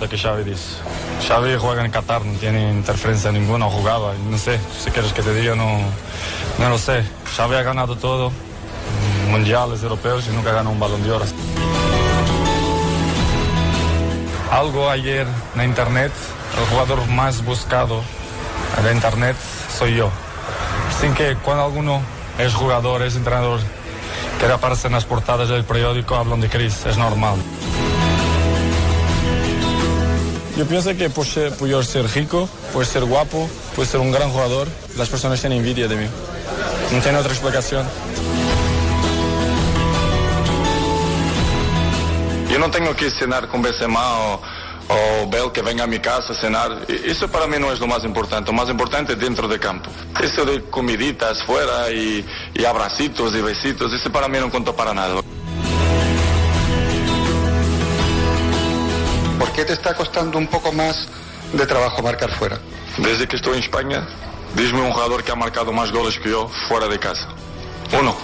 lo que Xavi dice. Xavi juega en Qatar, no tiene interferencia ninguna, jugaba, no sé, si quieres que te diga, no lo sé. Xavi ha ganado todo, mundiales, europeos, y nunca ganó un Balón de Oro. Algo ayer en internet, el jugador más buscado de internet soy yo. Sin que cuando alguno es jugador, es entrenador, quiere aparecer en las portadas del periódico, hablan de Chris, es normal. Yo pienso que por ser rico, por ser guapo, por ser un gran jugador, las personas tienen envidia de mí. No tiene otra explicación. Yo no tengo que cenar con Benzema o Bale que venga a mi casa a cenar. Eso para mí no es lo más importante. Lo más importante es dentro de campo. Eso de comiditas fuera y abracitos y besitos, eso para mí no contó para nada. ¿Por qué te está costando un poco más de trabajo marcar fuera? Desde que estoy en España, dime un jugador que ha marcado más goles que yo fuera de casa. Uno.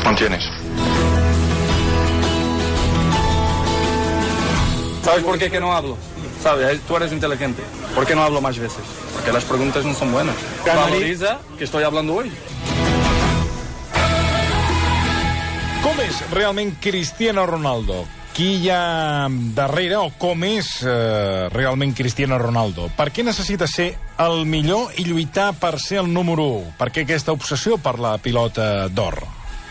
No tienes. ¿Sabes por qué que no hablo? ¿Sabes? Tú eres inteligente. ¿Por qué no hablo más veces? Porque las preguntas no son buenas. Valoriza que estoy hablando hoy. Com és realment Cristiano Ronaldo? Qui hi ha darrere o com és realment Cristiano Ronaldo? Per què necessita ser el millor i lluitar per ser el número 1? Per què aquesta obsessió per la pilota d'or?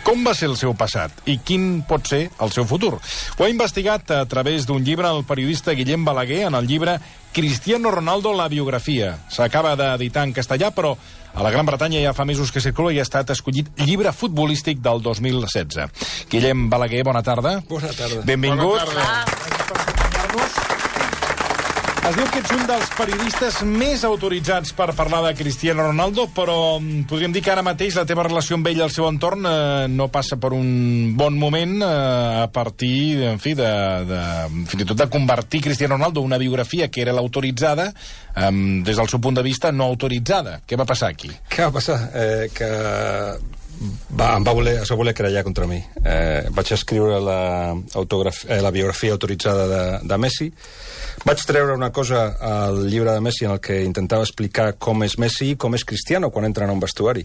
Com va ser el seu passat i quin pot ser el seu futur? Ho ha investigat a través d'un llibre el periodista Guillem Balaguer en el llibre Cristiano Ronaldo, la biografia. S'acaba d'editar en castellà, però a la Gran Bretanya ja fa mesos que circula i ha estat escollit llibre futbolístic del 2016. Guillem Balaguer, bona tarda. Bona tarda. Benvingut. Bona tarda. Es diu que ets un dels periodistes més autoritzats per parlar de Cristiano Ronaldo, però podríem dir que ara mateix la teva relació amb ell i el seu entorn no passa per un bon moment a partir, en fi, fins i tot de convertir Cristiano Ronaldo en una biografia que era l'autoritzada des del seu punt de vista no autoritzada. Què va passar aquí? Què va passar? Que es va voler querellar contra mi. Vaig escriure la biografia autoritzada de Messi. Vaig treure una cosa al llibre de Messi en el que intentava explicar com és Messi i com és Cristiano quan entren a un vestuari.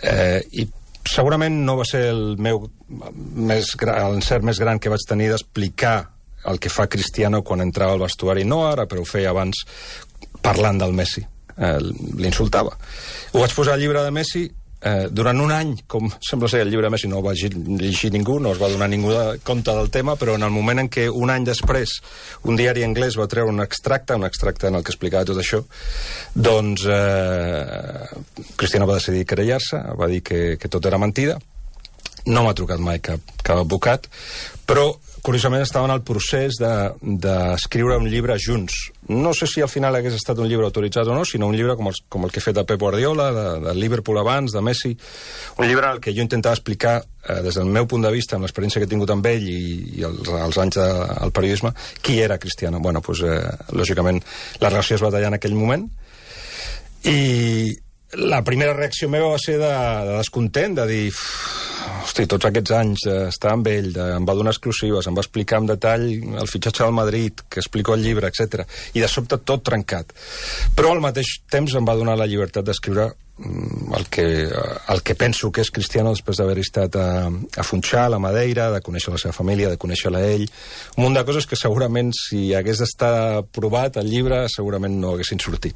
I segurament no va ser l'encert més gran que vaig tenir d'explicar el que fa Cristiano quan entrava al vestuari. No ara, però ho feia abans parlant del Messi. L'insultava. Ho vaig posar al llibre de Messi. Durant un any, com sembla ser el llibre de Messi, no ho va llegir ningú, no es va donar ningú compte del tema, però en el moment en què un any després un diari anglès va treure un extracte en el que explicava tot això, doncs Cristiano va decidir querellar-se, va dir que tot era mentida. No m'ha trucat mai cap advocat, però curiosament estava en el procés d'escriure un llibre junts. No sé si al final hagués estat un llibre autoritzat o no, sinó un llibre com el que he fet de Pep Guardiola, de Liverpool abans, de Messi. Un llibre en el que jo intentava explicar, des del meu punt de vista, amb l'experiència que he tingut amb ell i els anys del periodisme, qui era Cristiano. Bueno, doncs, lògicament, la relació es va tallar en aquell moment. I la primera reacció meva va ser de descontent, de dir... Hosti, tots aquests anys d'estar amb ell, em va donar exclusives, em va explicar en detall el fitxatge del Madrid, que explico el llibre, etc. I de sobte tot trencat. Però al mateix temps em va donar la llibertat d'escriure el que penso que és Cristiano després d'haver estat a Funchal, a Madeira, de conèixer la seva família, de conèixer-la ell. Un munt de coses que segurament, si hagués estat provat el llibre, segurament no haguessin sortit.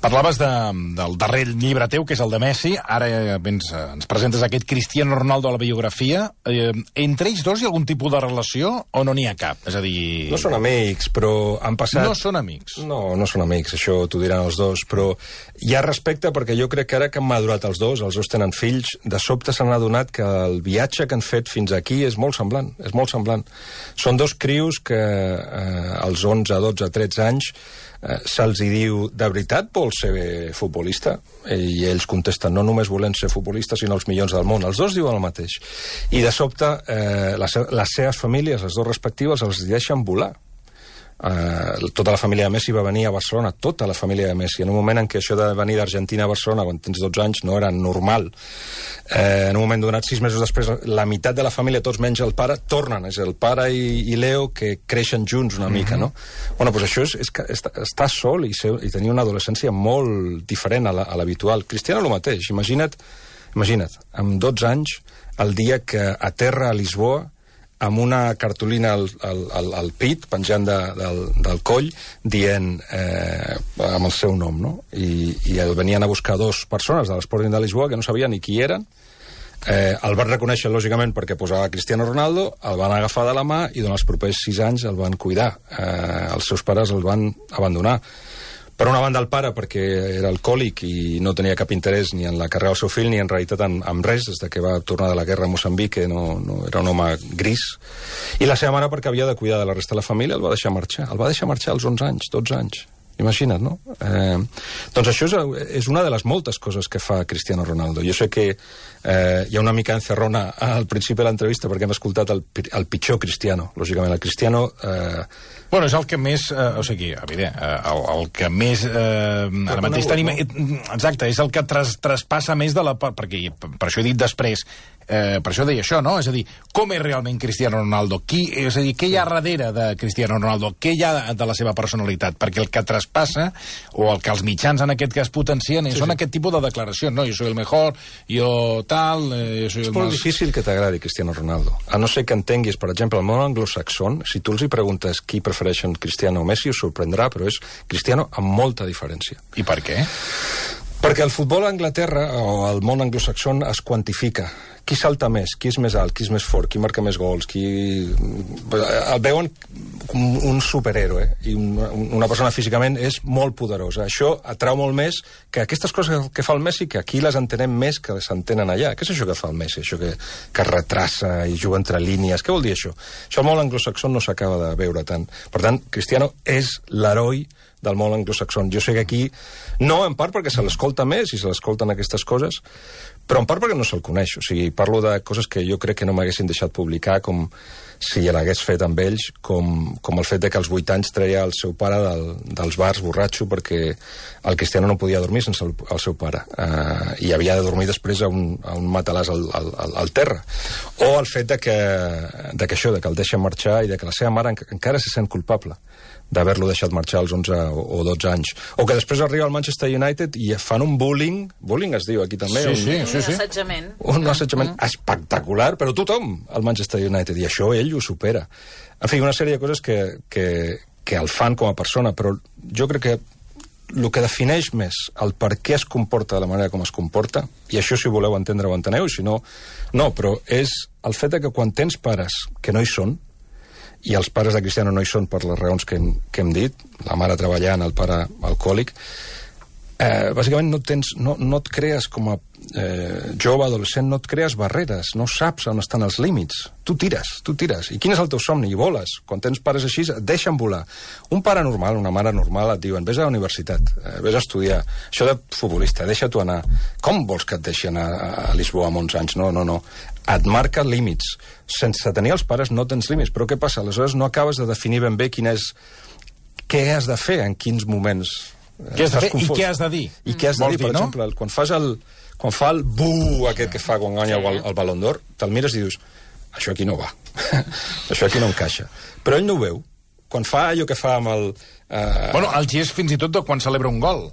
Parlaves del darrer llibre teu, que és el de Messi. Ara ens presentes aquest Cristiano Ronaldo a la biografia. Entre ells dos hi ha algun tipus de relació o no n'hi ha cap? És a dir... No són amics, però han passat... No són amics? No són amics, això t'ho diran els dos, però hi ha respecte perquè jo crec que ara que han madurat els dos tenen fills, de sobte s'han adonat que el viatge que han fet fins aquí és molt semblant, Són dos crios que als 11, 12, 13 anys se'ls hi diu, de veritat vols ser futbolista? I ells contesten, no només volem ser futbolistes, sinó els millors del món. Els dos diuen el mateix. I de sobte les seves famílies, les dues respectives, els deixen volar. Tota la família de Messi va venir a Barcelona, tota la família de Messi, en un moment en què això de venir d'Argentina a Barcelona quan tens 12 anys no era normal. En un moment donat, 6 mesos després, la meitat de la família, tots menys el pare, tornen. És el pare i Leo que creixen junts una mica, no? Bueno, doncs això és estar sol i tenir una adolescència molt diferent a l'habitual. Cristiano, el mateix. Imagina't, amb 12 anys, el dia que aterra a Lisboa amb una cartolina al pit, penjant del coll, dient amb el seu nom, no? I el venien a buscar 2 persones de l'Sporting de Lisboa que no sabien ni qui eren. El van reconèixer, lògicament, perquè posava Cristiano Ronaldo, el van agafar de la mà i durant els propers 6 anys el van cuidar. Els seus pares el van abandonar. Per una banda el pare, perquè era alcohòlic i no tenia cap interès ni en la carrera del seu fill ni en realitat en res, des que va tornar de la guerra a Moçambic, que no era un home gris. I la seva mare, perquè havia de cuidar de la resta de la família, el va deixar marxar. El va deixar marxar als 11 anys, 12 anys. Imagina't, no? Doncs això és una de les moltes coses que fa Cristiano Ronaldo. Jo sé que hi ha una mica encerrona al principi de l'entrevista perquè hem escoltat el pitjor Cristiano. Lògicament, el Cristiano... Bueno, és el que més... o sigui, evident, el que més... ara mateix tenim... Exacte, és el que traspassa més de la... Perquè per això he dit després... per això deia això, no? És a dir, com és realment Cristiano Ronaldo? És a dir, què hi ha darrere de Cristiano Ronaldo? Què hi ha de la seva personalitat? Perquè el que traspassa, o el que els mitjans en aquest cas potencien, són aquest tipus de declaracions, no? Jo soy el mejor, jo tal... És molt difícil que t'agradi Cristiano Ronaldo. A no ser que entenguis, per exemple, el món anglosaxon, si tu els hi preguntes qui prefereixen Cristiano o Messi, us sorprendrà, però és Cristiano amb molta diferència. I per què? Perquè el futbol a Anglaterra, o el món anglosaxon, es quantifica. Qui salta més, qui és més alt, qui és més fort, qui marca més gols, qui... El veuen com un superhéroe, i una persona físicament és molt poderosa. Això atrau molt més que aquestes coses que fa el Messi, que aquí les entenem més que les entenen allà. Què és això que fa el Messi? Això que retrassa i juga entre línies. Què vol dir això? Això al món anglosaxon no s'acaba de veure tant. Per tant, Cristiano és l'heroi del món anglosaxon. Jo sé que aquí, no en part perquè se l'escolta més i se l'escolten aquestes coses, però en part perquè no se'l coneix. O sigui, parlo de coses que jo crec que no m'haguessin deixat publicar, com si l'hagués fet amb ells, com el fet de que als 8 anys treia el seu pare dels bars borratxo perquè el Cristiano no podia dormir sense el seu pare. I havia de dormir després a un matalàs al terra. O el fet de que el deixen marxar i de que la seva mare encara se sent culpable d'haver-lo deixat marxar als 11 o 12 anys. O que després arriba al Manchester United i fan un bullying es diu aquí també. Sí. Un assetjament. Un assetjament espectacular, però tothom al Manchester United, i això ell ho supera. En fi, una sèrie de coses que el fan com a persona, però jo crec que el que defineix més el per què es comporta de la manera com es comporta, i això si voleu entendre ho enteneu, si no, no, però és el fet de que quan tens pares que no hi són, i els pares de Cristiano no hi són per les raons que hem dit, la mare treballant, el pare alcohòlic, bàsicament no et crees com a jove, adolescent, no et crees barreres, no saps on estan els límits. Tu tires. I quin és el teu somni? I voles. Quan tens pares així, et deixen volar. Un pare normal, una mare normal, et diuen, vés a la universitat, vés a estudiar. Això de futbolista, deixa-t'ho anar. Com vols que et deixi anar a Lisboa amb 11 anys? No. Et marca límits. Sense tenir els pares no tens límits. Però què passa? Aleshores no acabes de definir ben bé què has de fer en quins moments. Què has de fer i què has de dir? I què has de dir, per exemple, quan fa el buh aquest que fa quan guanya el Ballon d'Or, te'l mires i dius, això aquí no va. Això aquí no encaixa. Però ell no ho veu. Quan fa allò que fa amb el... Bueno, el gest fins i tot de quan celebra un gol.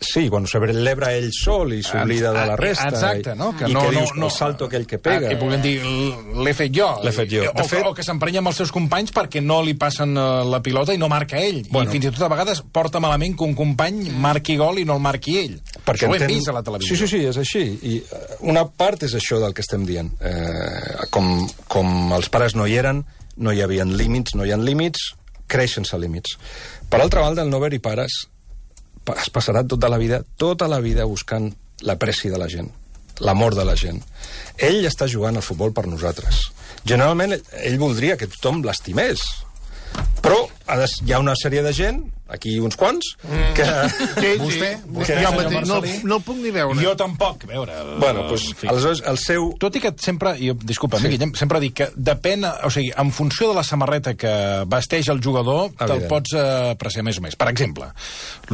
Sí, quan celebra ell sol i s'oblida de la resta. Exacte, no? I que dius, el salto aquell que pega. Que puguem dir, l'he fet jo. O que s'emprenya amb els seus companys perquè no li passen la pilota i no marca ell. I fins i tot a vegades porta malament que un company marqui gol i no el marqui ell. Això ho hem vist a la televisió. Sí, és així. I una part és això del que estem dient. Com els pares no hi eren, no hi havia límits, creix sense límits. Per altra banda, el no haver-hi pares es passarà tota la vida buscant l'apreci de la gent, l'amor de la gent. Ell està jugant al futbol per nosaltres. Generalment, ell voldria que tothom l'estimés, però hi ha una sèrie de gent, aquí uns quants, que... Vostè, Jo mateix no el puc ni veure. Jo tampoc, a veure... Bueno, doncs, aleshores, el seu... Tot i que sempre, disculpa, Guillem, sempre dic que depèn, o sigui, en funció de la samarreta que vesteix el jugador, te'l pots apreciar més o més. Per exemple,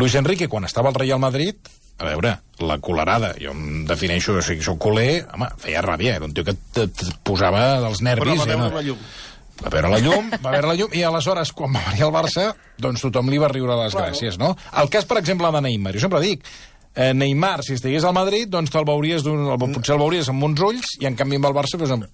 Luis Enrique, quan estava al Real Madrid, a veure, la colerada, jo em defineixo, o sigui, soc culer, home, feia ràbia, era un tio que et posava dels nervis. Però va veure la llum. Va veure la llum, i aleshores, quan va venir al Barça, doncs tothom li va riure les gràcies, no? El cas, per exemple, de Neymar, jo sempre dic, Neymar, si estigués al Madrid, doncs potser el veuries amb uns ulls, i en canvi amb el Barça... Doncs,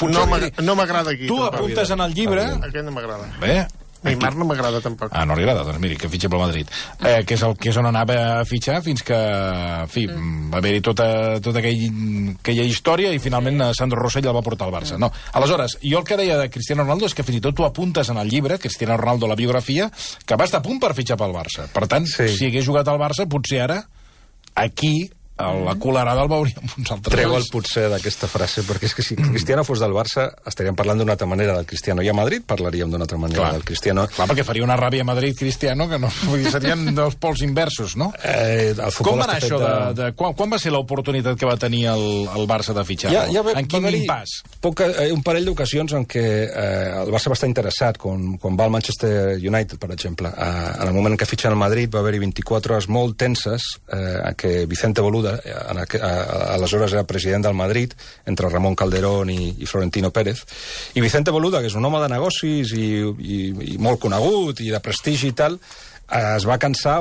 no m'agrada aquí. Tu apuntes en el llibre... Aquest no m'agrada. Bé... Neymar no m'agrada tampoc. No li agrada, doncs miri, que fitxa pel Madrid. Que és on anava a fitxar fins que, en fi, va haver-hi tota aquella història i finalment Sandro Rosell el va portar al Barça. No. Aleshores, jo el que deia de Cristiano Ronaldo és que fins i tot tu apuntes en el llibre, Cristiano Ronaldo, la biografia, que va estar a punt per fitxar pel Barça. Per tant, si hagués jugat al Barça, potser ara, aquí... la colerada el veuríem uns altres. Treu el potser d'aquesta frase, perquè és que si Cristiano fos del Barça estaríem parlant d'una altra manera del Cristiano, i a Madrid parlaríem d'una altra manera del Cristiano. Clar, perquè faria una ràbia a Madrid Cristiano, que no, serien dos pols inversos, no? Com va anar això quan va ser l'oportunitat que va tenir el Barça de fitxar-lo? En quin impàs? Un parell d'ocasions en què el Barça va estar interessat, quan va al Manchester United, per exemple. En el moment en què fitxen el Madrid va haver-hi 24 hores molt tenses en què Vicente Boluda, aleshores era president del Madrid, entre Ramon Calderón i Florentino Pérez, i Vicente Boluda, que és un home de negocis i molt conegut i de prestigi i tal, es va cansar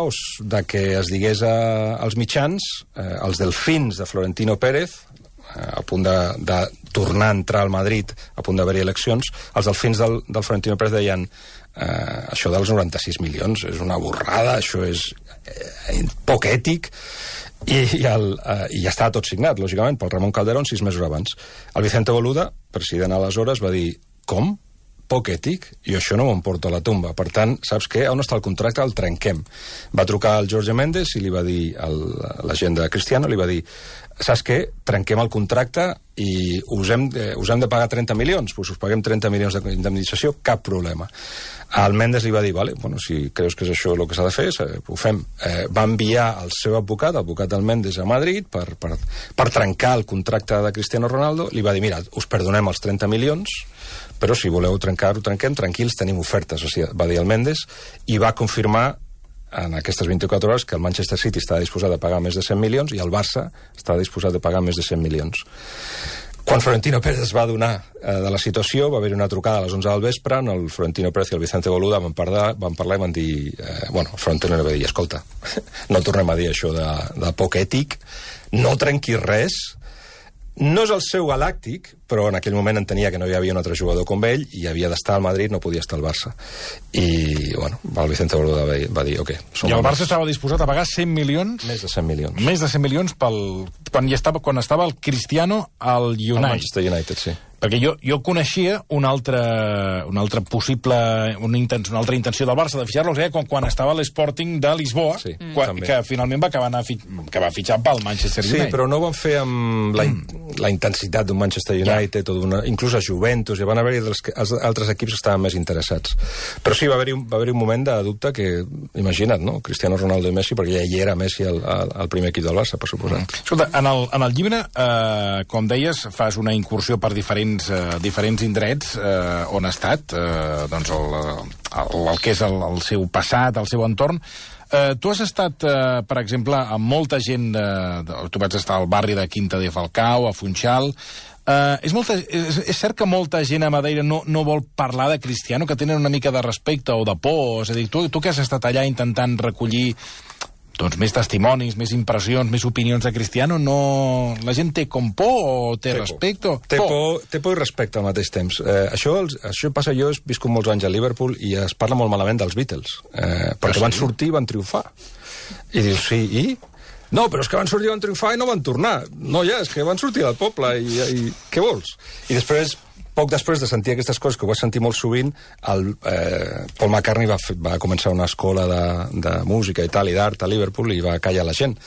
de que es digués als mitjans, els delfins de Florentino Pérez, a punt de tornar a entrar al Madrid, a punt d'haver-hi eleccions, els delfins del Florentino Pérez deien això dels 96 milions és una borrada, això és poc ètic, i ja estava tot signat, lògicament, pel Ramon Calderón 6 mesos abans. El Vicente Boluda, president aleshores, va dir, com? Poc ètic? Jo això no m'ho porto a la tomba. Per tant, saps què? On està el contracte? El trenquem. Va trucar al Jorge Méndez i li va dir, l'agent de Cristiano, li va dir, saps què? Trenquem el contracte i us hem de pagar 30 milions. Pues us paguem 30 milions d'indemnització, cap problema. Al Méndez li va dir, vale, bueno, si creus que és això el que s'ha de fer, ho fem. Va enviar el seu advocat del Méndez a Madrid per trencar el contracte de Cristiano Ronaldo. Li va dir, mira, us perdonem els 30 milions, però si voleu trencar-ho, trenquem, tranquils, tenim ofertes, o sigui, va dir el Méndez, i va confirmar en aquestes 24 hores que el Manchester City estava disposat a pagar més de 100 milions i el Barça estava disposat a pagar més de 100 milions. Quan Florentino Pérez es va adonar de la situació, va haver una trucada a les 11 del vespre, el Florentino Pérez i el Vicente Boluda van parlar i van dir... el Florentino li va dir, escolta, no tornem a dir això de poc ètic, no trenquis res, no és el seu galàctic, però en aquell moment entenia que no hi havia un altre jugador com ell i havia d'estar al Madrid, no podia estar al Barça. I, el Vicente Boluda va dir, ok. I el Barça estava disposat a pagar 100 milions? Més de 100 milions. Més de 100 milions quan estava el Cristiano al United. Al Manchester United, sí. Perquè jo coneixia una altra possible... una altra intenció del Barça de fitxar-lo, quan estava a l'Sporting de Lisboa, que finalment va fitxar pel Manchester United. Sí, però no ho van fer amb la intensitat d'un Manchester United, inclús a Juventus, i van haver-hi altres equips que estaven més interessats. Però sí, va haver-hi un moment de dubte que, imagina't, no? Cristiano Ronaldo i Messi, perquè ja hi era Messi al primer equip del Barça, per suposat. Escolta, en el llibre, com deies, fas una incursió per diferents indrets on ha estat el que és el seu passat, el seu entorn. Tu has estat, per exemple, amb molta gent tu vas estar al barri de Quinta de Falcao, a Funchal. És cert que molta gent a Madeira no vol parlar de Cristiano, que tenen una mica de respecte o de por? És a dir, tu que has estat allà intentant recollir més testimonis, més impressions, més opinions de Cristiano, la gent té com por o té respecte? Té por i respecte al mateix temps. Això passa, jo he viscut molts anys a Liverpool i es parla molt malament dels Beatles, perquè van sortir i van triomfar. I dius, sí, i? No, però és que van sortir i van triomfar i no van tornar. No, ja, és que van sortir del poble i què vols? I després, poc després de sentir aquestes coses, que ho vaig sentir molt sovint, Paul McCartney va començar una escola de música i tal, i d'art a Liverpool, i va callar la gent.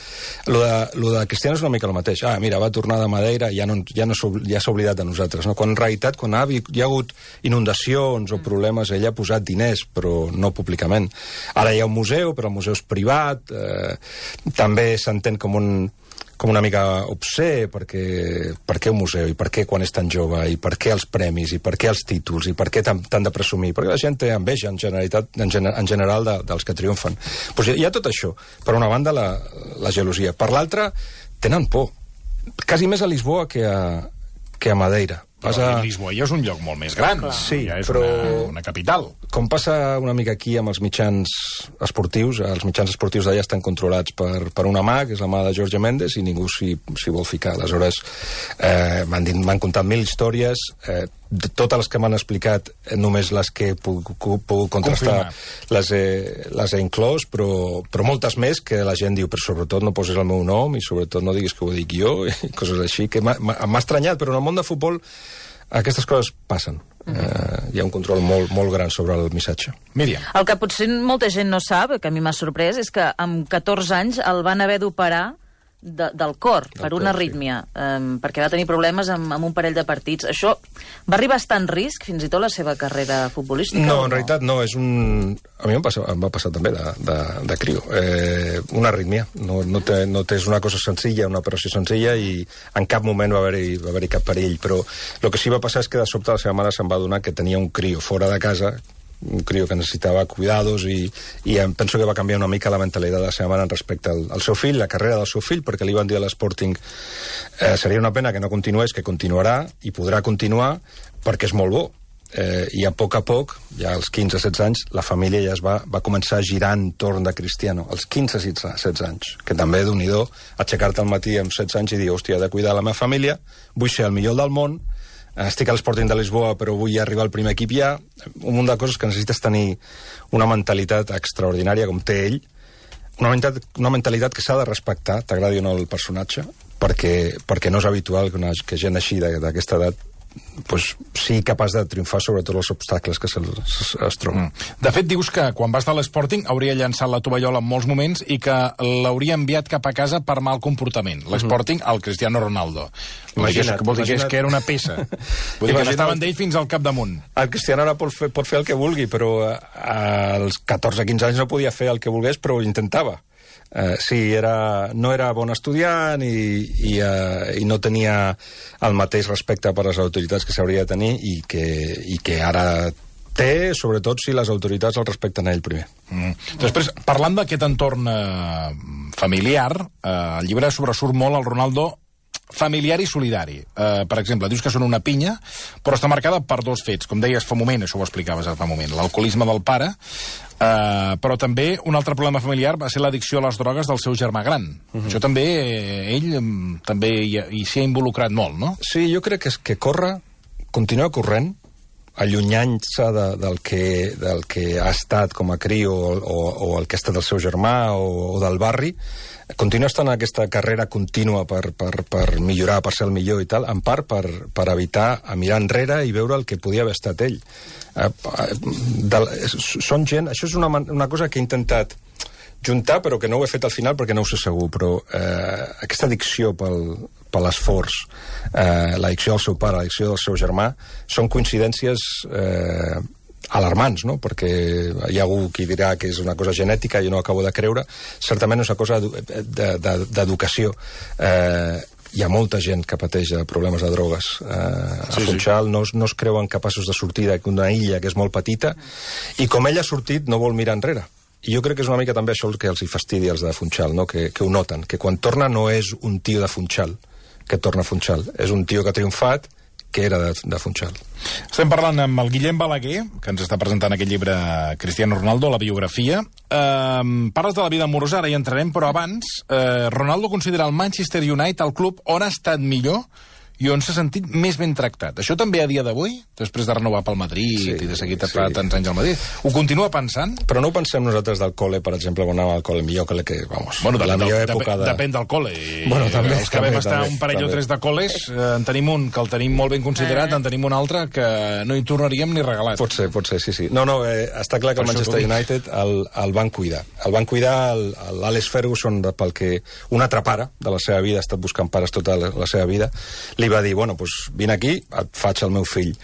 Lo de Cristiano és una mica el mateix. Mira, va tornar de Madeira, ja s'ha oblidat de nosaltres, no? Quan en realitat, quan hi ha hagut inundacions o problemes, ell ha posat diners, però no públicament. Ara hi ha un museu, però el museu és privat, també s'entén com una mica obsè, per què un museu, i per què quan és tan jove, i per què els premis, i per què els títols, i per què t'han de presumir, perquè la gent té enveja en general dels que triomfen. Pues hi ha tot això. Per una banda, la gelosia. Per l'altra, tenen por. Quasi més a Lisboa que a Madeira. Lisboa ja és un lloc molt més gran. Sí, ja és però una capital. Com passa una mica aquí amb els mitjans esportius, els mitjans esportius d'allà estan controlats per una mà, que és la mà de Jorge Mendes, i ningú s'hi vol ficar. Aleshores, m'han contat 1000 històries, totes les que m'han explicat, només les que he pogut contrastar les he inclòs, però moltes més que la gent diu, però sobretot no posis el meu nom i sobretot no diguis que ho dic jo, i coses així, que m'ha estranyat, però en el món de futbol aquestes coses passen. Hi ha un control molt gran sobre el missatge. Míriam. El que potser molta gent no sap, que a mi m'ha sorprès, és que amb 14 anys el van haver d'operar del cor, per una arrítmia, perquè va tenir problemes amb un parell de partits. Això va arribar a estar en risc fins i tot la seva carrera futbolística? No, en realitat no, és un... A mi em va passar també de crio. Una arrítmia. No és una cosa senzilla, una operació senzilla, i en cap moment va haver-hi cap perill, però el que sí va passar és que de sobte la seva mare se'n va adonar que tenia un crio fora de casa, un crio que necessitava cuidados, i penso que va canviar una mica la mentalitat de la seva mare respecte al seu fill, la carrera del seu fill, perquè li van dir a l'Sporting seria una pena que no continués, que continuarà, i podrà continuar, perquè és molt bo. I a poc, ja als 15-16 anys, la família ja va començar a girar entorn de Cristiano, als 15-16 anys, que també d'un-i-do, aixecar-te al matí amb 16 anys i dir, hòstia, he de cuidar la meva família, vull ser el millor del món, estic a l'Sporting de Lisboa, però vull arribar al primer equip ja. Un munt de coses que necessites tenir una mentalitat extraordinària, com té ell, una mentalitat que s'ha de respectar, t'agradi o no el personatge, perquè no és habitual que gent així d'aquesta edat sigui capaç de triomfar sobre tots els obstacles que es troben. De fet, dius que quan va estar a l'Sporting hauria llançat la tovallola en molts moments i que l'hauria enviat cap a casa per mal comportament. L'Sporting, al Cristiano Ronaldo. Vol dir que era una peça. Vull dir que estaven d'ell fins al capdamunt. El Cristiano ara pot fer el que vulgui, però als 14-15 anys no podia fer el que volgués, però ho intentava. Sí, no era bon estudiant i no tenia el mateix respecte per les autoritats que s'hauria de tenir i que ara té, sobretot si les autoritats el respecten a ell primer. Després, parlant d'aquest entorn familiar, el llibre sobresurt molt el Ronaldo familiar i solidari. Per exemple, dius que són una pinya, però està marcada per dos fets. Com deies fa un moment, això ho explicaves fa un moment, l'alcoholisme del pare, però també un altre problema familiar va ser l'addicció a les drogues del seu germà gran. Això també, ell també hi s'hi ha involucrat molt, no? Sí, jo crec que continua corrent, allunyant-se del que ha estat com a crio o el que ha estat el seu germà o del barri, continua estant en aquesta carrera contínua per millorar, per ser el millor i tal, en part per evitar mirar enrere i veure el que podia haver estat ell. Són gent... Això és una cosa que he intentat juntar, però que no ho he fet al final perquè no ho sé segur, però aquesta addicció per l'esforç, l'addicció del seu pare, l'addicció del seu germà, són coincidències alarmants, no? Perquè hi ha algú que dirà que és una cosa genètica, jo no acabo de creure, certament és una cosa d'educació. Hi ha molta gent que pateix problemes de drogues a Funchal, no es creuen capaços de sortir d'una illa que és molt petita, i com ell ha sortit no vol mirar enrere. I jo crec que és una mica també això el que els hi fastidia als de Funchal, no? Que ho noten, que quan torna no és un tio de Funchal que torna a Funchal, és un tio que ha triomfat, que era de Funchal. Estem parlant amb el Guillem Balaguer, que ens està presentant aquest llibre Cristiano Ronaldo, la biografia. Parles de la vida amorosa, ara hi entrarem, però abans, Ronaldo considera el Manchester United el club on ha estat millor i on s'ha sentit més ben tractat. Això també a dia d'avui, després de renovar pel Madrid i de seguir tapant tants anys al Madrid, ho continua pensant? Però no ho pensem nosaltres del col·le, per exemple, quan anàvem al col·le, millor que vamos, la millor època de... Depèn del col·le. Bueno, també, els que vam estar un parell o tres de col·les, en tenim un que el tenim molt ben considerat, en tenim un altre que no hi tornaríem ni regalat. Pot ser, sí. No, està clar que el Manchester United el van cuidar. El van cuidar l'Alex Ferguson, pel que un altre pare de la seva vida, ha estat buscant pares tota la seva vida, li va dir, bueno, doncs vine aquí, et faig el meu fill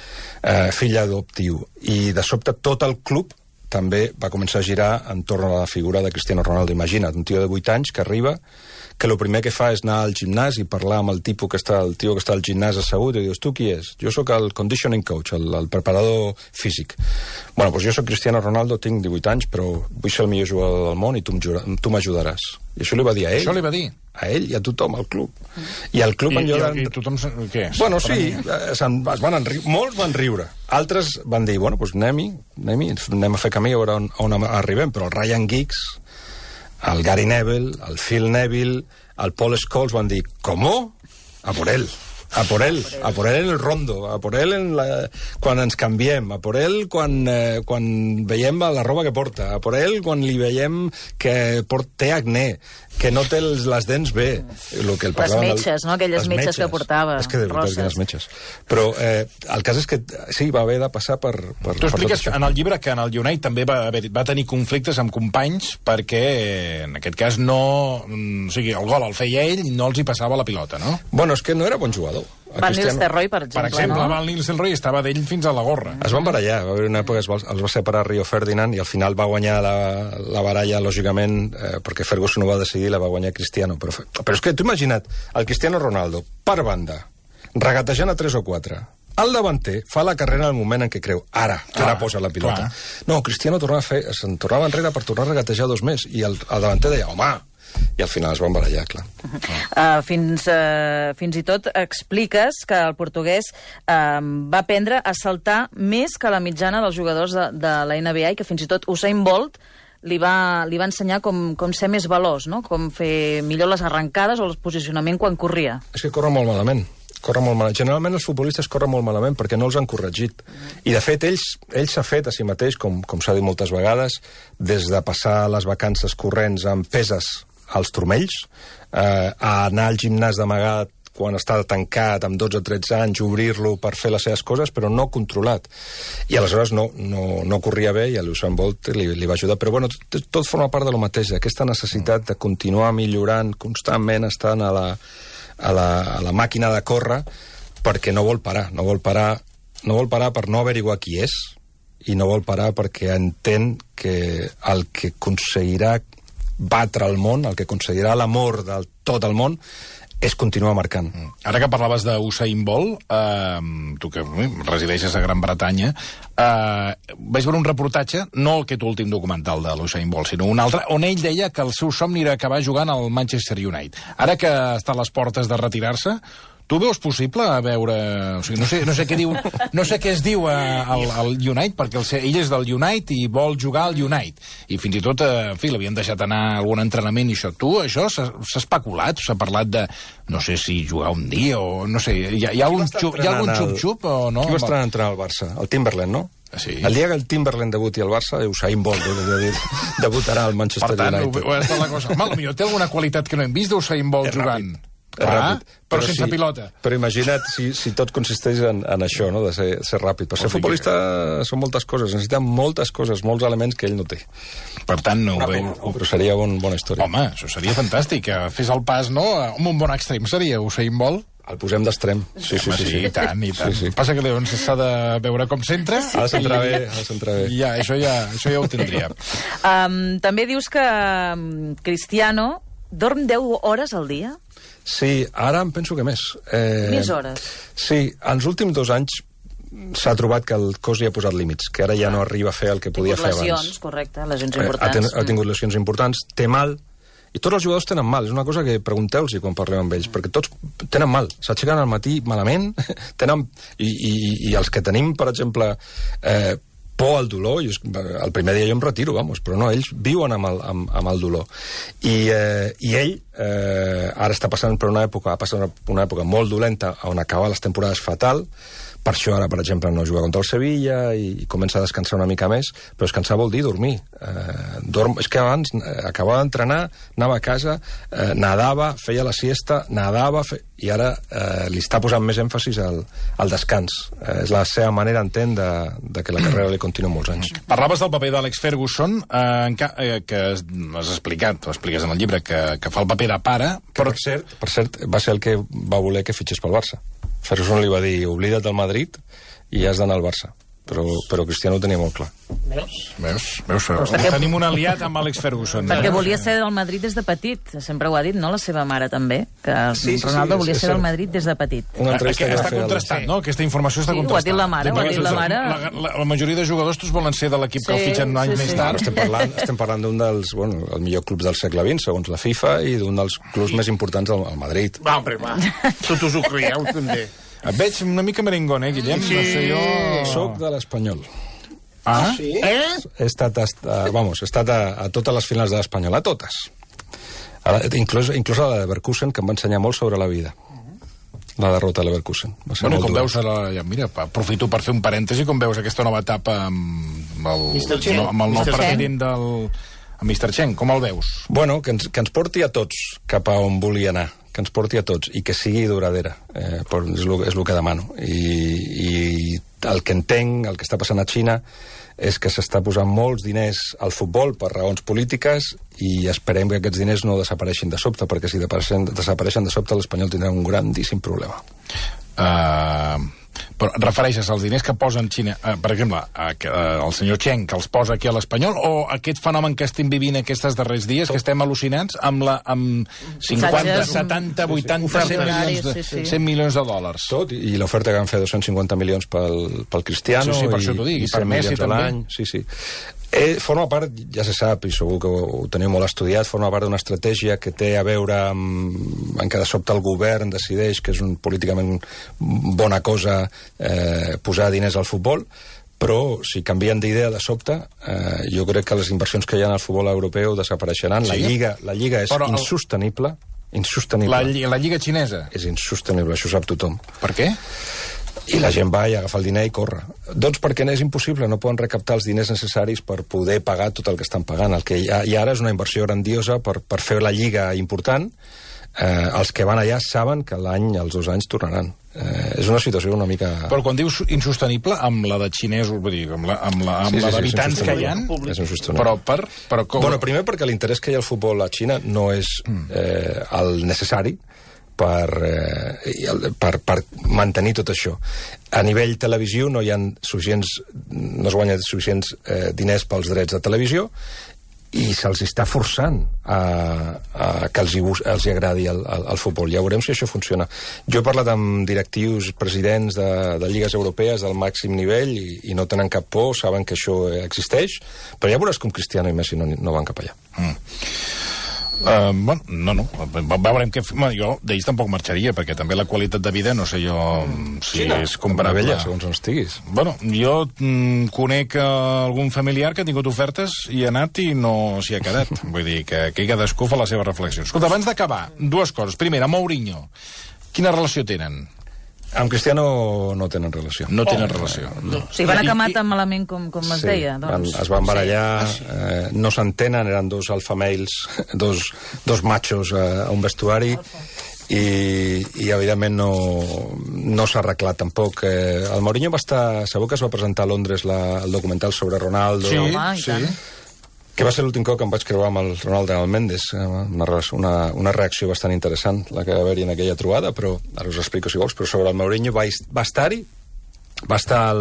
adoptiu. I de sobte tot el club també va començar a girar entorn a la figura de Cristiano Ronaldo. Imagina't, un tio de 8 anys que arriba, que el primer que fa és anar al gimnàs i parlar amb el tio que està al gimnàs assegut i dius, tu qui és? Jo sóc el conditioning coach, el preparador físic. Bueno, doncs jo sóc Cristiano Ronaldo, tinc 18 anys, però vull ser el millor jugador del món i tu m'ajudaràs. I això li va dir a ell. Això li va dir? A ell i a tothom, al club. I el club I tothom... Què? Bueno, sí, molts van riure. Altres van dir, bueno, doncs anem a fer camí a veure on arribem, però el Ryan Giggs, el Gary Neville, el Phil Neville, el Paul Scholes van dir, ¿cómo? A por él en el rondo, a por él quan ens canviem, a por él quan veiem la roba que porta, a por él quan li veiem que té acné, que no té les dents bé. Les metges, no? Aquelles metges que portava. És que de veritat que les metges. Però el cas és que sí, va haver de passar per tu expliques en el llibre que en el United també va tenir conflictes amb companys perquè, en aquest cas, no... O sigui, el gol el feia ell i no els hi passava la pilota, no? Bueno, és que no era bon jugador. Van Nistelrooy, per exemple, no? Van Nistelrooy estava d'ell fins a la gorra. Es van barallar, va haver una època els va separar Rio Ferdinand i al final va guanyar la baralla, lògicament, perquè Ferguson ho va decidir, la va guanyar Cristiano. Però és que tu imagina't, el Cristiano Ronaldo, per banda, regatejant a 3 o 4, el davanter fa la carrera en el moment en què creu, ara posa la pilota. No, Cristiano se'n tornava enrere per tornar a regatejar 2 més, i el davanter deia, home, i al final es van barallar, clar. Fins i tot expliques que el portuguès va aprendre a saltar més que la mitjana dels jugadors de la NBA i que fins i tot Usain Bolt li va ensenyar com ser més veloç, no? Com fer millor les arrencades o el posicionament quan corria. És que corre molt malament. Generalment els futbolistes corren molt malament perquè no els han corregit. I, de fet, ell s'ha fet a si mateix, com s'ha dit moltes vegades, des de passar les vacances corrents amb peses als turmells, a anar al gimnàs d'amagat quan està tancat, amb 12 o 13 anys, obrir-lo per fer les seves coses, però no controlat. I aleshores no corria bé i a l'Usain Bolt li va ajudar. Però bueno, tot forma part de lo mateix, aquesta necessitat de continuar millorant, constantment estant a la màquina de córrer, perquè no vol parar per no averiguar qui és, i no vol parar perquè entén que el que aconseguirà batre el món, el que aconseguirà l'amor de tot el món, és continuar marcant. Ara que parlaves d'Usain Bolt, tu que resideixes a Gran Bretanya, vaig veure un reportatge, no aquest últim documental de l'Usain Bolt, sinó un altre, on ell deia que el seu somni era acabar jugant al Manchester United. Ara que està a les portes de retirar-se, tu veus possible a veure... O sigui, no sé què es diu al United, perquè ell és del United i vol jugar al United. I fins i tot, en fi, l'havien deixat anar a algun entrenament i això. Això s'ha especulat, s'ha parlat de... No sé si jugar un dia o... No sé, hi ha algun xup-xup o no? Qui va estar entrenant al Barça? El Timberland, no? Sí. El dia que el Timberland debuti al Barça, Usain Bolt debutarà al Manchester United. Per tant, la cosa. Potser té alguna qualitat que no hem vist d'Usain Bolt jugant. Ràpid. Però sense pilota. Però imagina't si tot consisteix en això, no? De ser ràpid. Per ser futbolista són moltes coses, necessita moltes coses, molts elements que ell no té. Per tant, no ho veu. Però seria bona història. Home, això seria fantàstic, que fes el pas, no? Amb un bon extrem seria Usain Bolt. El posem d'extrem. Sí, i tant. Sí. Passa que llavors s'ha de veure com centra. Ha de centrar bé. Ja, això ja ho tindria. També dius que Cristiano dorm 10 hores al dia? Sí, ara em penso que més. Més hores? Sí, els últims 2 anys s'ha trobat que el cos li ha posat límits, que ara ja no arriba a fer el que podia fer abans. Lesions, correcte, lesions importants. Ha tingut lesions importants, té mal, i tots els jugadors tenen mal, és una cosa que pregunteu-los quan parlem amb ells, perquè tots tenen mal, s'aixequen al matí malament, i els que tenim, per exemple, por al dolor. El primer dia jo em retiro, però no, ells viuen amb el dolor. I ell ara està passant per una època molt dolenta, on acaba les temporades fatal. Per això ara, per exemple, no juga contra el Sevilla i comença a descansar una mica més, però descansar vol dir dormir. És que abans acabava d'entrenar, anava a casa, nadava, feia la siesta, i ara li està posant més èmfasis al descans. És la seva manera, entén, de que la carrera li continua molts anys. Parlaves del paper d'Alex Ferguson, que has explicat, ho expliques en el llibre, que fa el paper de pare. Per cert, va ser el que va voler que fitxés pel Barça. Ferguson li va dir, oblida't del Madrid i has d'anar al Barça. Però Cristiano ho tenia molt clar. Veus? Tenim un aliat amb Alex Ferguson. Perquè volia ser del Madrid des de petit. Sempre ho ha dit, no? La seva mare també. Que Ronaldo volia ser del Madrid des de petit. Una entrevista que va fer... Està contrastat, no? Aquesta informació està contrastada. Ho ha dit la mare, La majoria de jugadors volen ser de l'equip que el fitxen anys més tard. Estem parlant d'un dels, el millor club del segle XX, segons la FIFA, i d'un dels clubs més importants al Madrid. Va, tot us ho creieu, també. Et veig una mica merengón, Guillem? Sí. No sé jo... Soc de l'Espanyol. Ah? Sí? He estat a totes les finals de l'Espanyol, a totes. Inclús a la de Leverkusen, que em va ensenyar molt sobre la vida. La derrota de Leverkusen. Bueno, com veus, mira, aprofito per fer un parèntesi, com veus aquesta nova etapa amb el nou president del Mr. Chen, com el veus? Bueno, que ens porti a tots cap a on volia anar, que ens porti a tots, i que sigui duradera. És el que demano. I el que entenc, el que està passant a Xina, és que s'està posant molts diners al futbol per raons polítiques i esperem que aquests diners no desapareixin de sobte, perquè si desapareixen de sobte l'Espanyol tindrà un grandíssim problema. Però refereixes als diners que posen Xina, per exemple, el senyor Chen, que els posa aquí a l'Espanyol, o aquest fenomen que estem vivint aquests darrers dies, que estem al·lucinats amb 50, 70, 80, 100 milions de dòlars. Tot, i l'oferta que van fer 250 milions pel Cristiano, sí, per això t'ho dic, i per Messi també. Sí. Forma part, ja se sap, i segur que ho teniu molt estudiat, forma part d'una estratègia que té a veure amb que de sobte el govern decideix que és políticament bona cosa posar diners al futbol, però si canvien d'idea de sobte, jo crec que les inversions que hi ha en el futbol europeu desapareixeran. Sí? La Lliga és insostenible. La Lliga xinesa? És insostenible, això ho sap tothom. Per què? I la gent va i agafa el diner i corre. Doncs perquè és impossible, no poden recaptar els diners necessaris per poder pagar tot el que estan pagant. El que hi ha ara és una inversió grandiosa per fer la lliga important. Els que van allà saben que els 2 anys tornaran. És una situació una mica... Però quan dius insostenible, amb la de xinesos, vull dir, amb la d'habitants que hi ha... És insostenible. Però com... Bueno, primer perquè l'interès que hi ha al futbol a Xina no és el necessari per mantenir tot això. A nivell televisió no es guanyen suficients diners pels drets de televisió i se'ls està forçant que els agradi el futbol. Ja veurem si això funciona. Jo he parlat amb directius, presidents de lligues europees del màxim nivell i no tenen cap por, saben que això existeix, però ja veuràs com Cristiano i Messi no van cap allà. Veurem què... Jo d'ells tampoc marxaria, perquè també la qualitat de vida, no sé jo si és comparable. Segons on estiguis. Bueno, jo conec algun familiar que ha tingut ofertes i ha anat i no s'hi ha quedat. Vull dir que cadascú fa les seves reflexions. Escolta, abans d'acabar, 2 coses. Primera, Mourinho. Quina relació tenen? Amb Cristiano no tenen relació. No tenen relació. No. O sigui, van acabar tan malament com es deia. Doncs. Es van barallar, no s'entenen, eren 2 alfamales, dos machos a un vestuari, i evidentment no s'ha arreglat tampoc. El Mourinho va estar... Segur que es va presentar a Londres el documental sobre Ronaldo. Sí. Que va ser l'últim cop que em vaig creuar amb el Ronaldo i el Mendes. Una reacció bastant interessant, la que va haver-hi en aquella trobada, però ara us explico si vols, però sobre el Mourinho va estar-hi, va estar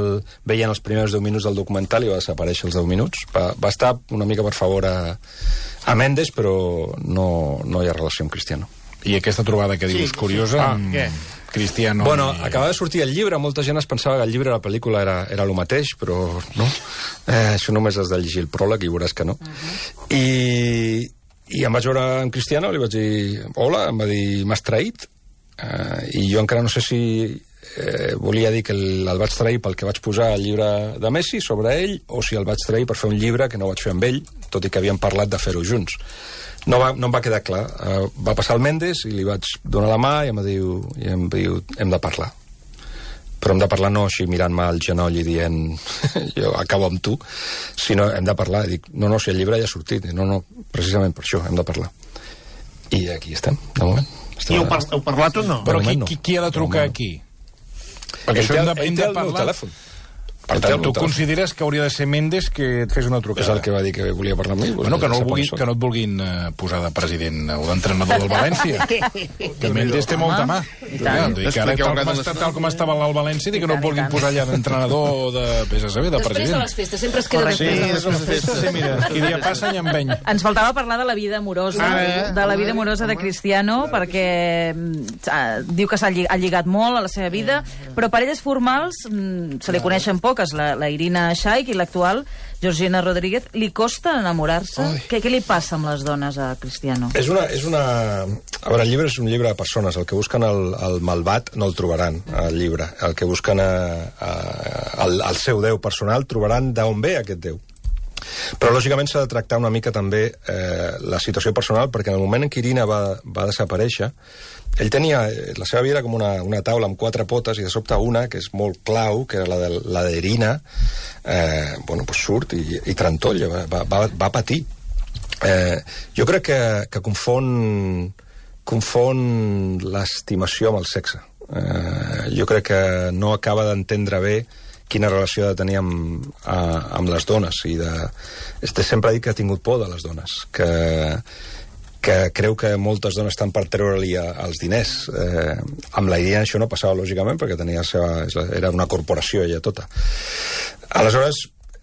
veient els primers 10 minuts del documental i va desaparèixer els 10 minuts. Va estar una mica per favor a Mendes, però no hi ha relació amb Cristiano. I aquesta trobada que dius curiosa... Què? Cristiano... Bueno, acaba de sortir el llibre, molta gent es pensava que el llibre i la pel·lícula era el mateix, però no. Això només has de llegir el pròleg i veuràs que no. I em vaig veure amb Cristiano, li vaig dir hola, em va dir m'has traït, i jo encara no sé si volia dir que el vaig trair pel que vaig posar al llibre de Messi sobre ell, o si el vaig trair per fer un llibre que no vaig fer amb ell, tot i que havíem parlat de fer-ho junts. No em va quedar clar. Va passar el Mendes i li vaig donar la mà i em diu hem de parlar. Però hem de parlar no així mirant-me al genoll i dient jo acabo amb tu, sinó hem de parlar. I dic, no, si el llibre ja ha sortit. No, precisament per això hem de parlar. I aquí estem, de moment. I heu parlat o no? Però qui ha de trucar aquí? Perquè això hem de parlar... Telèfon. Per tant, tu consideres que hauria de ser Mendes que et fes una trucada? És el que va dir que volia parlar amb mi. Bueno, que no et vulguin posar de president o d'entrenador del València. Que Mendes té molta mà. I tant. Tal com estava el València, que no et vulguin posar allà d'entrenador de PSV, de president. Després de les festes, sempre es queda després de les festes. Sí, mira, qui dia passa i empeny. Ens faltava parlar de la vida amorosa, de Cristiano, perquè diu que ha lligat molt a la seva vida, però parelles formals se li coneixen poques, la Irina Shayk i l'actual Georgina Rodríguez. Li costa enamorar-se? Què li passa amb les dones a Cristiano? És una... A veure, el llibre és un llibre de persones. El que busquen el malvat no el trobaran, el llibre. El que busquen el seu déu personal trobaran d'on ve aquest déu. Però, lògicament, s'ha de tractar una mica també la situació personal, perquè en el moment en què Irina va desaparèixer, ell tenia... La seva vida era com una taula amb 4 potes, i de sobte una, que és molt clau, que era la d'Irina, surt i trantolla, va patir. Jo crec que confon l'estimació amb el sexe. Jo crec que no acaba d'entendre bé quina relació ha de tenir amb les dones. Sempre ha dit que ha tingut por de les dones, que creu que moltes dones estan per treure-li els diners. Amb la Irina això no passava, lògicament, perquè era una corporació ella tota. Aleshores,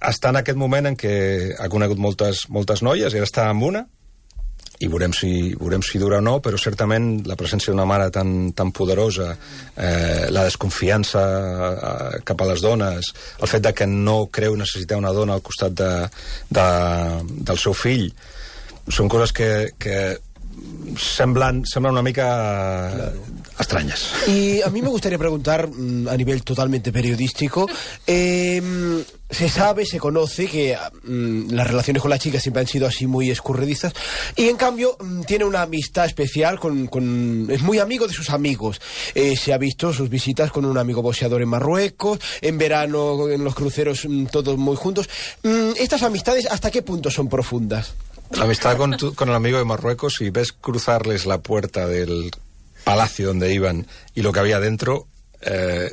està en aquest moment en què ha conegut moltes noies, i ara està amb una, i veurem si dura o no, però certament la presència d'una mare tan poderosa, la desconfiança cap a les dones, el fet de que no creu necessitar una dona al costat del seu fill, són coses que semblan una mica extrañas. Y a mí me gustaría preguntar, a nivel totalmente periodístico, se sabe, se conoce que las relaciones con las chicas siempre han sido así muy escurridizas, y en cambio tiene una amistad especial es muy amigo de sus amigos. Se ha visto sus visitas con un amigo boxeador en Marruecos, en verano en los cruceros, todos muy juntos. ¿Estas amistades hasta qué punto son profundas? La amistad con el amigo de Marruecos, si ves cruzarles la puerta del palacio donde iban y lo que había dentro,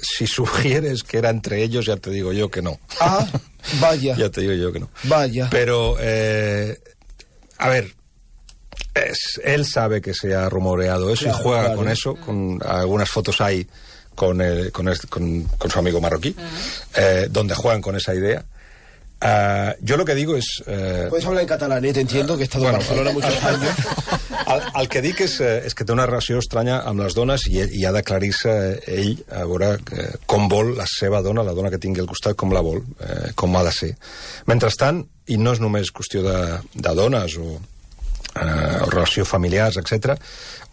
si sugieres que era entre ellos, ya te digo yo que no. Ah, vaya. Ya te digo yo que no. Vaya. Pero, a ver, él sabe que se ha rumoreado eso, claro, y juega con eso, con algunas fotos hay con su amigo marroquí, donde juegan con esa idea. Jo lo que digo és... Puedes hablar en catalán, te entiendo, que he estado en Barcelona muchos años. El que dic és que té una relació estranya amb les dones, i ha d'aclarir-se ell a veure com vol la seva dona, la dona que tingui al costat, com la vol, com ha de ser. Mentrestant, i no és només qüestió de dones o relació familiars, etc.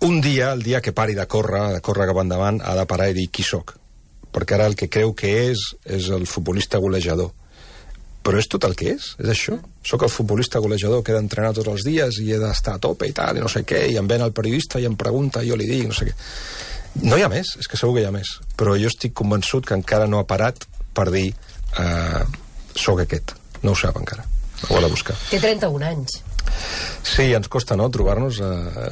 Un dia, el dia que pari de córrer cap endavant, ha de parar i dir qui soc. Perquè ara el que creu que és el futbolista golejador. Però és tot el que és això. Soc el futbolista golejador que he d'entrenar tots els dies i he d'estar a tope i tal, i no sé què, i em ven el periodista i em pregunta, i jo li dic, no sé què. No hi ha més, és que segur que hi ha més. Però jo estic convençut que encara no ha parat per dir soc aquest. No ho sap encara. Ho ha de buscar. Té 31 anys. Sí, ens costa, no?, trobar-nos.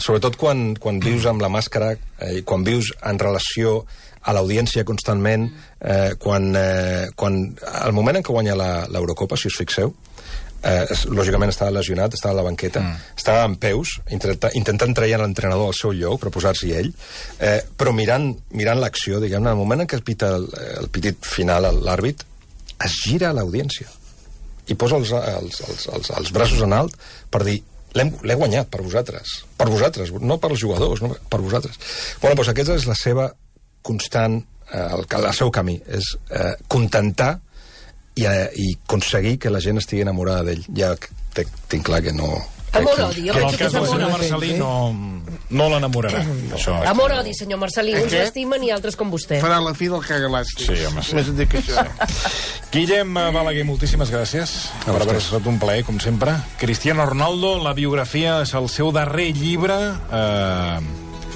Sobretot quan vius amb la màscara, i quan vius en relació a l'audiència constantment, quan al moment en què guanya l'Eurocopa, si us fixeu, lògicament estava lesionat, estava a la banqueta, estava en peus, intentant treure l'entrenador al seu lloc per posar-s'hi ell, però mirant l'acció, diguem-ne, al moment en què es pita el pitit final, l'àrbit, es gira a l'audiència i posa els braços en alt per dir l'he guanyat per vosaltres, no per els jugadors, no per vosaltres. Bueno, doncs aquesta és la seva constant, el seu camí, és contentar i aconseguir que la gent estigui enamorada d'ell. Ja tinc clar que no... Amor-odi, jo en el penso que cas és del senyor amor-odi. Marcelí no... no l'enamorarà. Amor-odi, senyor Marcelí. Uns l'estimen i altres com vostè. Farà la fi del cagalàstic. Sí, home, sí. Més et dic això. Guillem Balaguer, moltíssimes gràcies per haver estat un plaer, com sempre. Cristiano Ronaldo, la biografia és el seu darrer llibre,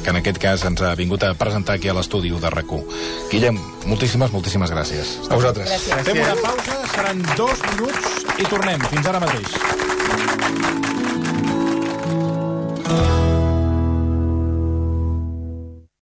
que en aquest cas ens ha vingut a presentar aquí a l'estudi de RAC1. Guillem, moltíssimes gràcies. A vosaltres. Fem una pausa, seran 2 minuts i tornem. Fins ara mateix.